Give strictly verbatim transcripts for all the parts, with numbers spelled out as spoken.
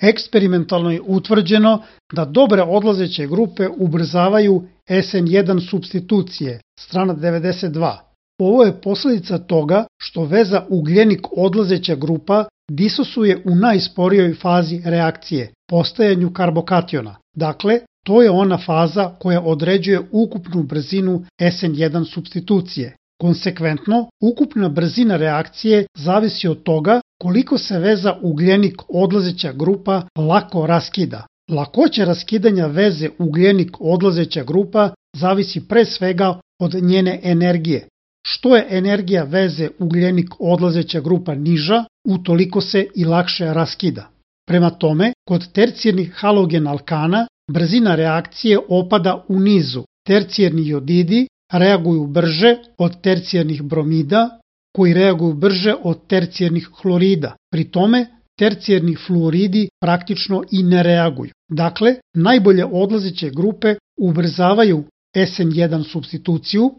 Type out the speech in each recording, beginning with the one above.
Eksperimentalno je utvrđeno da dobre odlazeće grupe ubrzavaju S N jedan supstitucije, strana devedeset dva. Ovo je posljedica toga što veza ugljenik odlazeća grupa disosuje u najsporijoj fazi reakcije, postajanju karbokationa. Dakle, to je ona faza koja određuje ukupnu brzinu S N jedan supstitucije. Konsekventno, ukupna brzina reakcije zavisi od toga koliko se veza ugljenik odlazeća grupa lako raskida. Lakoća raskidanja veze ugljenik odlazeća grupa zavisi pre svega od njene energije. Što je energija veze ugljenik odlazeća grupa niža, utoliko se i lakše raskida. Prema tome, kod tercijernih halogen alkana brzina reakcije opada u nizu. Tercijerni jodidi reaguju brže od tercijernih bromida, koji reaguju brže od tercijernih hlorida. Pri tome, tercijerni fluoridi praktično i ne reaguju. Dakle, najbolje odlazeće grupe ubrzavaju S N jedan supstituciju,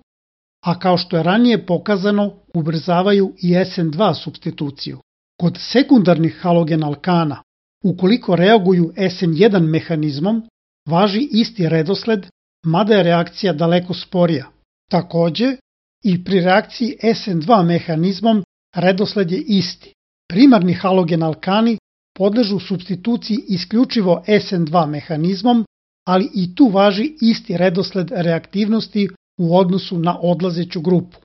a kao što je ranije pokazano, ubrzavaju i S N dva supstituciju. Kod sekundarnih halogen alkana, ukoliko reaguju S N jedan mehanizmom, važi isti redosled, mada je reakcija daleko sporija. Takođe, i pri reakciji S N dva mehanizmom redosled je isti. Primarni halogen alkani podležu supstituciji isključivo S N dva mehanizmom, ali i tu važi isti redosled reaktivnosti u odnosu na odlazeću grupu.